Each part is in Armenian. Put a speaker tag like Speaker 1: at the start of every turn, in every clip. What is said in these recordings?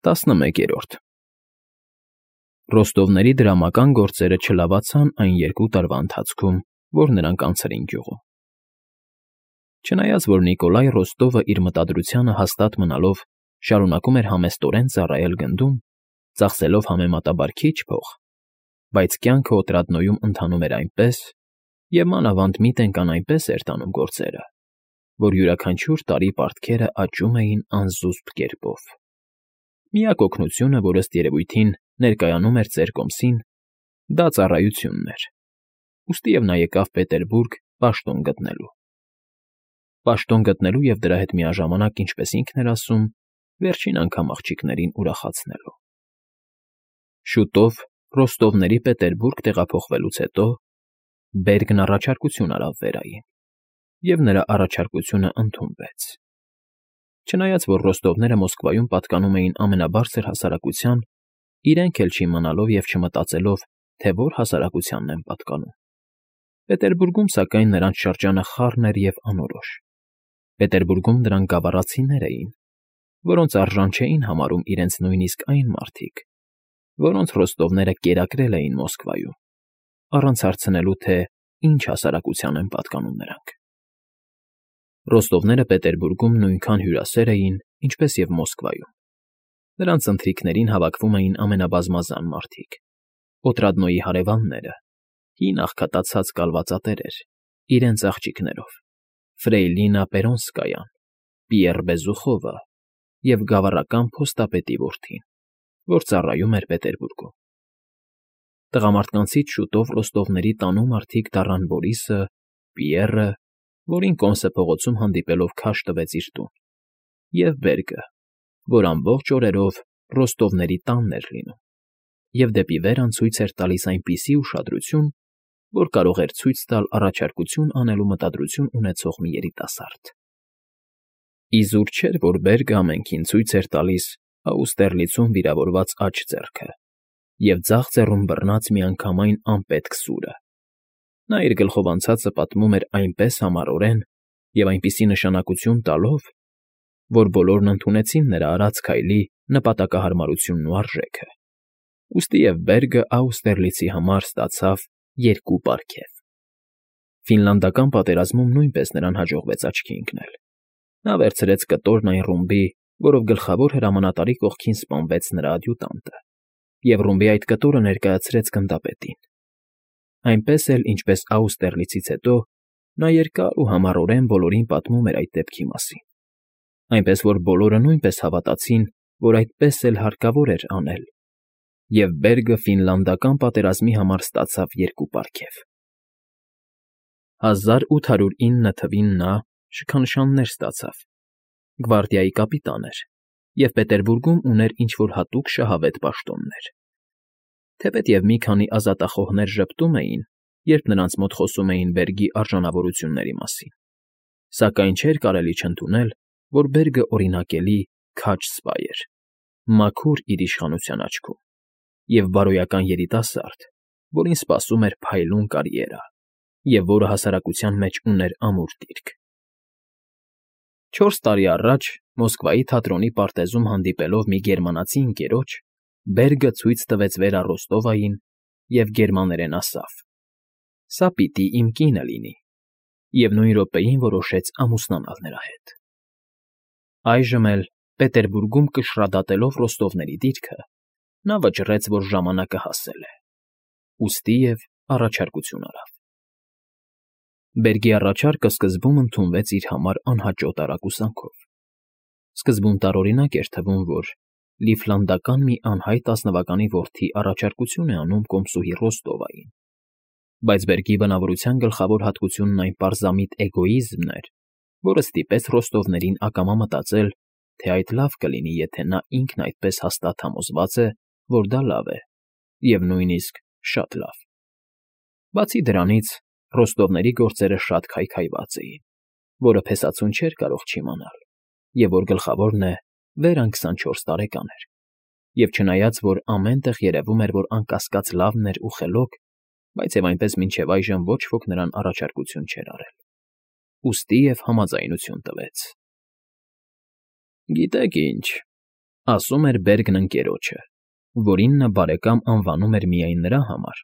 Speaker 1: 11-րդ Ռոստովների դրամական գործերը չլավացան այն 2 տարվա ընթացքում, որ նրանք անցրին գյուղում։ Չնայած որ Նիկոլայ Ռոստովը իր մտադրությանը հաստատ մնալով շարունակում էր համեստորեն ծառայել գնդում, ծախսելով համեմատաբար քիչ փող, բայց կյանքը Օտրադնոյում ընթանում էր այնպես, և մանավանդ Միտենկան այնպես էր տանում գործերը, որ յուրաքանչյուր տարի պարտքերը աճում էին անզուսպ կերպով։ Միակ օգնությունը, որ ըստ երևույթին ներկայանում էր ծեր կոմսին, դա ծառայությունն էր, ուստիև նա եկավ Պետերբուրգ պաշտոն գտնելու։ Պաշտոն գտնելու և դրա հետ միաժամանակ, ինչպես ինքն էր ասում, վերջին անգամ աղջիկներին ուրախացնելու։ Շուտով Ռոստովների Պետերբուրգ տեղափոխվելուց հետո Բերգն առաջարկություն արավ Վերային, և նրա առաջարկությունը ընդունվեց։ Չնայած որ Ռոստովները Մոսկվայում պատկանում էին ամենաբարձր հասարակության, իրենք էլ չիմանալով և չմտածելով, թե որ հասարակությանն են պատկանում։ Պետերբուրգում, սակայն, նրանց շրջանը խառն էր և անորոշ։ Պետերբուրգում դրանք գավառացիներ էին, որոնց արժան չէին համարում իրենց նույնիսկ այն մարդիկ, որոնց Ռոստովները կերակրել էին Մոսկվայում, առանց հարցնելու, թե ինչ հասարակության են պատկանում նրանք։ Ռոստովները Պետերբուրգում նույնքան հյուրասեր էին, ինչպես և Մոսկվայում։ Նրանց ընթրիքներին հավաքվում էին ամենաբազմազան մարդիկ. Օտրադնոյի հարևանները, հին աղքատացած կալվածատերեր, իրենց աղջիկներով, Ֆրեյլինա Պերոնսկայան, Պիեռ Բեզուխովը և գավառական փոստապետի որդին, որ ծառայում էր Պետերբուրգում։ Տղամարդկանցից շուտով Ռոստովների տանու մարդիկ դառան Բորիսը, Պիեռը, որին Կոնսե փողոցում հանդիպելով քաշ տվեց իր տուն, և Բերգը, որ ամբողջ օրերով Ռոստովների տանն էր լինում, և դեպի վեր անցույց էր տալիս այնպիսի ուշադրություն, որ կարող էր ցույց տալ առաջարկություն անելու մտադրություն ունեցող մի երիտասարդ։ Իզուր չէր, որ Բերգը ամենքին ցույց էր տալիս Աուստերլիցում վիրավորված աջ ձեռքը և ձախ ձեռում բռնած միանգամայն անպետք սուրը։ Նա իր գլխով անցածը պատմում էր այնպես համառորեն և այնպիսի նշանակություն տալով, որ բոլորն ընդունեցին նրա արած քայլի նպատակահարմարությունն ու արժեքը, ուստիև Բերգը Աուստերլիցի համար ստացավ 2 պարգև։ Ֆինլանդական պատերազմում նույնպես նրան հաջողվեց աչքի ընկնել։ Նա վերցրեց կտորն այն ռումբի, որով գլխավոր հրամանատարի կողքին սպանվեց նրա ադյուտանտը, և ռումբի այդ կտորը ներկայացրեց գնդապետին։ Այնպես էլ, ինչպես Աուստերլիցից հետո, նա երկար ու համառորեն բոլորին պատմում էր այդ դեպքի մասին, այնպես որ բոլորը նույնպես հավատացին, որ այդպես էլ հարկավոր էր անել, և Բերգը Ֆինլանդական պատերազմի համար ստացավ 2 պարգև։ 1809 թվին նա շքանշաններ ստացավ, գվարդիայի կապիտան էր և Պետերբուրգում ուներ ինչ֊որ հատուկ շահավետ պաշտոններ։ Թեպետև մի քանի ազատախոհներ ժպտում էին, երբ նրանց մոտ խոսում էին Բերգի արժանավորությունների մասին, սակայն չէր կարելի չընդունել, որ Բերգը օրինակելի քաջ սպա էր, մաքուր իր իշխանության աչքում, և բարոյական երիտասարդ, որին սպասում էր փայլուն կարիերա, և որը հասարակության մեջ ուներ ամուր դիրք։ 4 տարի առաջ Մոսկվայի թատրոնի պարտեզում հանդիպելով մի գերմանացի ընկերոջ, Բերգը ցույց տվեց Վերա Ռոստովային և գերմաներեն ասավ. «Սա պիտի իմ կինը լինի», և նույն րոպեին որոշեց ամուսնանալ նրա հետ։ Այժմ էլ, Պետերբուրգում կշռադատելով Ռոստովների դիրքը, նա վճռեց, որ ժամանակը հասել է, ուստիև առաջարկություն արավ։ Բերգի առաջարկը սկզբում ընդունվեց իր համար անհաճո տարակուսանքով։ Սկզբում տարօրինակ էր թվում, որ լիֆլանդական մի անհայտ ազնվականի որդի առաջարկություն է անում կոմսուհի Ռոստովային, բայց Բերգի բնավորության գլխավոր հատկությունն այն պարզամիտ էգոիզմն էր, որը ստիպեց Ռոստովներին ակամա մտածել, թե այդ լավ կլինի, եթե նա ինքն այդպես հաստատ համոզված է, որ դա լավ է, և նույնիսկ շատ լավ։ Բացի դրանից, Ռոստովների գործերը շատ քայքայված էին, որը փեսացուն չէր կարող չիմանալ, և որ գլխավորն է, Վերան 24 տարեկան էր, և չնայած որ ամեն տեղ երևում էր, որ անկասկած լավն էր ու խելոք, բայց և այնպես մինչև այժմ ոչ ոք նրան առաջարկություն չէր արել, ուստիև համաձայնություն տվեց։ «Գիտեք ինչ, Ասում էր Բերգն ընկերոջը, որին նա բարեկամ անվանում էր միայն նրա համար,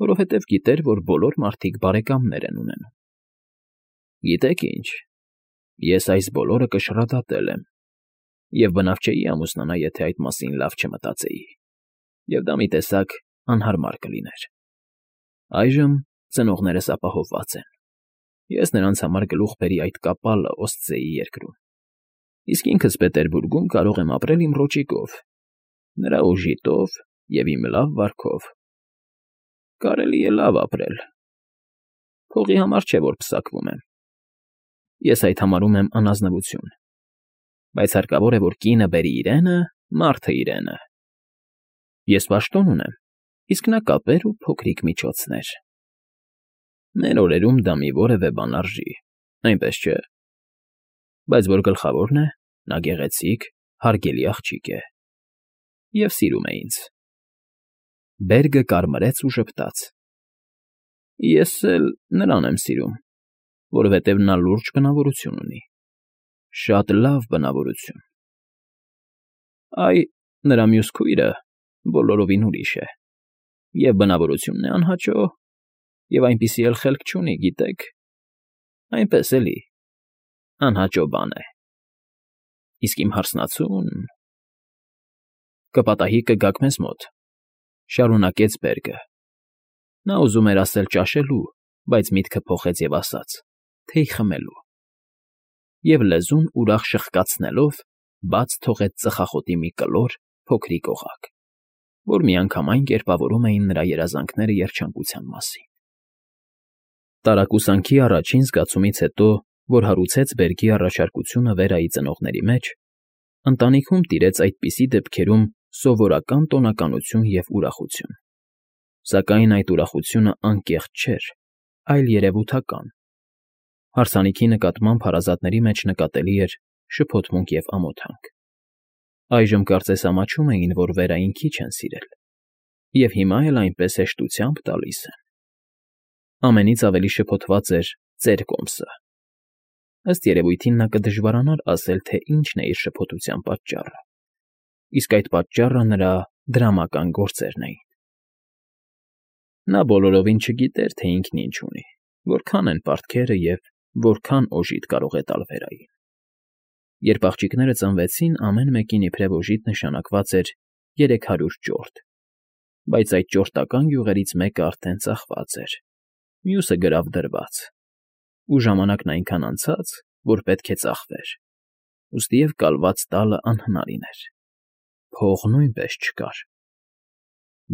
Speaker 1: որովհետև գիտեր, որ բոլոր մարդիկ բարեկամներ են ունենում։ Գիտեք ինչ, ես այս բոլորը կշռադատել եմ, և բնավ չէի ամուսնանա, եթե այդ մասին լավ չմտածեի, և դա մի տեսակ անհարմար կլիներ։ Այժմ ծնողներս ապահովված են։ Ես նրանց համար գլուխ բերի այդ կապալը Օստզեի երկրում, իսկ ինքս Պետերբուրգում կարող եմ ապրել իմ ռոճիկով, նրա օժիտով և իմ լավ վարքով։ Կարելի է լավ ապրել։ Փողի համար չէ, որ պսակվում եմ։ Ես այդ համարում եմ անազնվություն, բայց հարկավոր է, որ կինը բերի իրենը, մարդը իրենը։ Ես պաշտոն ունեմ, իսկ նա կապեր ու փոքրիկ միջոցներ։ Մեր օրերում դա մի որևէ բան արժի, այնպես չէ։ Բայց որ գլխավորն է, նա գեղեցիկ, հարգելի աղջիկ է։ Եվ սիրում է ինձ։ Բերգը կարմրեց ու ժպտաց։ Ես էլ նրան եմ սիրում, որովհետև նա լուրջ բնավորություն ունի։ Շատ լավ բնավորություն։ Այ, նրա մյուս քույրը բոլորովին ուրիշ է, և բնավորությունն է անհաճո, և այնպիսի էլ խելք չունի, գիտեք, այնպես էլի, անհաճո բան է։ Իսկ իմ հարսնացուն… Կպատահի կգաք մեզ մոտ, շարունակեց Բերգը։ Նա ուզում էր ասել ճաշելու, բայց միտքը փոխեց և ասաց, թեյ խմելու։ Եվ լեզուն ուրախ շխկացնելով բաց թողեց ծխախոտի մի կլոր, փոքրիկ օղակ, որ միանգամայն կերպավորում էին նրա երազանքները երջանկության մասին։ Տարակուսանքի առաջին զգացումից հետո, որ հարուցեց Բերգի առաջարկությունը Վերայի ծնողների մեջ, ընտանիքում տիրեց այդպիսի դեպքերում սովորական տոնականություն և ուրախություն։ Սակայն այդ ուրախությունը անկեղծ չէր, այլ երևութական։ Հարսանիքի նկատմամբ հարազատների մեջ նկատելի էր շփոթմունք և ամոթանք։ Այժմ կարծես ամաչում էին, որ Վերային քիչ են սիրել, և հիմա էլ այնպես հեշտությամբ տալիս են։ Ամենից ավելի շփոթված էր ծեր կոմսը։ Ըստ երևույթին նա կդժվարանար ասել, թե ինչն է իր շփոթության պատճառը, իսկ այդ պատճառը նրա դրամական գործերն էին։ Նա բոլորովին չգիտեր, թե ինքն ինչ ունի, որքան են պարտքերը և որքան օժիտ կարող է տալ Վերային։ Երբ աղջիկները ծնվեցին, ամեն մեկին իբրև օժիտ նշանակված էր 300 ճորտ, բայց այդ ճորտական յուղերից մեկը արդեն ծախված էր, մյուսը գրավ դրված, ու ժամանակն այնքան անցած, որ պետք է ծախվեր, ուստիև կալված տալը անհնարին էր։ Փող նույնպես չկար։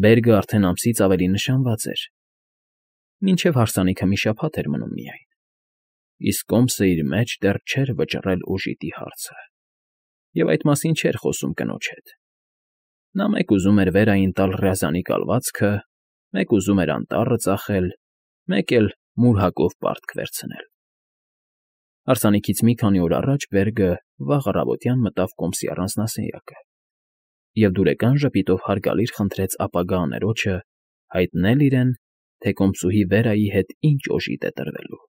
Speaker 1: Բերգը արդեն ամսից ավելի նշանված էր, մինչև հարսանիքը մի շաբաթ էր մնում միայն, իսկ կոմսը իր մեջ դեռ չէր վճռել օժիտի հարցը, և այդ մասին չէր խոսում կնոջ հետ։ Նա մեկ ուզում էր Վերային տալ Ռյազանի կալվածքը, մեկ ուզում էր անտառը ծախել, մեկ էլ մուր հակով պարտք վերցնել։ Հարսանիքից մի քանի օր առաջ Բերգը վաղ առավոտյան մտավ կոմսի առանձնասենյակը և դուրեկան ժպիտով հարգալից խնդրեց ապագա աներոջը հայտնել իրեն, թե կոմսուհի Վերայի հետ ինչ օժիտ է տրվելու։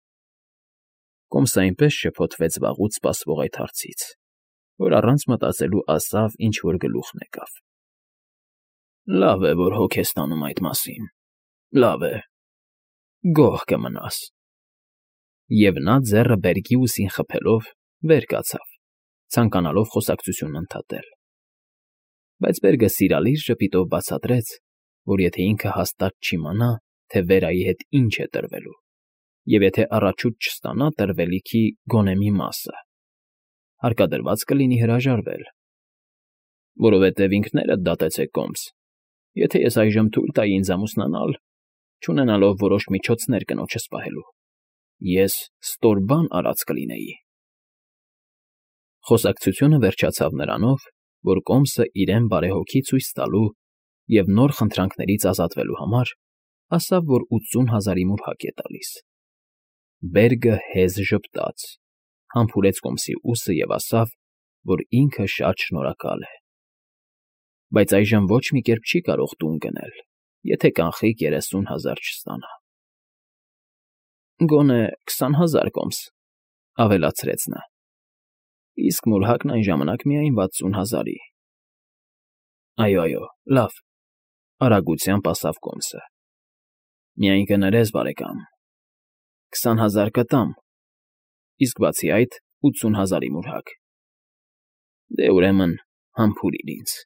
Speaker 1: Կոմսը այնպես շփոթվեց վաղուց սպասվող այդ հարցից, որ առանց մտածելու ասավ, ինչ֊որ գլուխն եկավ։ Լավ է, որ հոգ ես տանում այդ մասին, լավ է, գոհ կմնաս։ Եվ նա ձեռը Բերգի ուսին խփելով վեր կացավ, ցանկանալով խոսակցությունն ընդհատել։ Բայց Բերգը սիրալիր ժպիտով բացատրեց, որ եթե ինքը հաստատ չիմանա, թե Վերայի հետ ինչ է տրվելու, և եթե առաջուց չստանա տրվելիքի գոնե մի մասը, հարկադրված կլինի հրաժարվել։ Որովհետև ինքներդ դատեցեք կոմս, եթե ես այժմ թույլ տայի ինձ ամուսնանալ, չունենալով որոշ միջոցներ կնոջս պահելու, ես ստոր բան արած կլինեի։ Խոսակցությունը վերջացավ նրանով, որ կոմսը իրեն բարեհոգի ցույց տալու և նոր խնդրանքներից ազատվելու համար ասավ, որ 80,000-ի մուրհակ է տալիս։ Բերգը հեզ ժպտաց, համբուրեց կոմսի ուսը և ասավ, որ ինքը շատ շնորհակալ է։ Բայց այժմ ոչ մի կերպ չի կարող տուն գնել, եթե կանխիկ 30,000 չստանա։ Գոնե 20,000 կոմս, ավելացրեց նա։ Իսկ մուրհակն այն ժամանակ միայն 60,000-ի։ Այո, լավ,֊ արագությամբ ասաց Կոմսը։ Միայն կներես, բարեկամ, 20,000 կտամ, իսկ բացի այդ 80,000-ի մուրհակ։ Դե, ուրեմն, համբուրիր ինձ։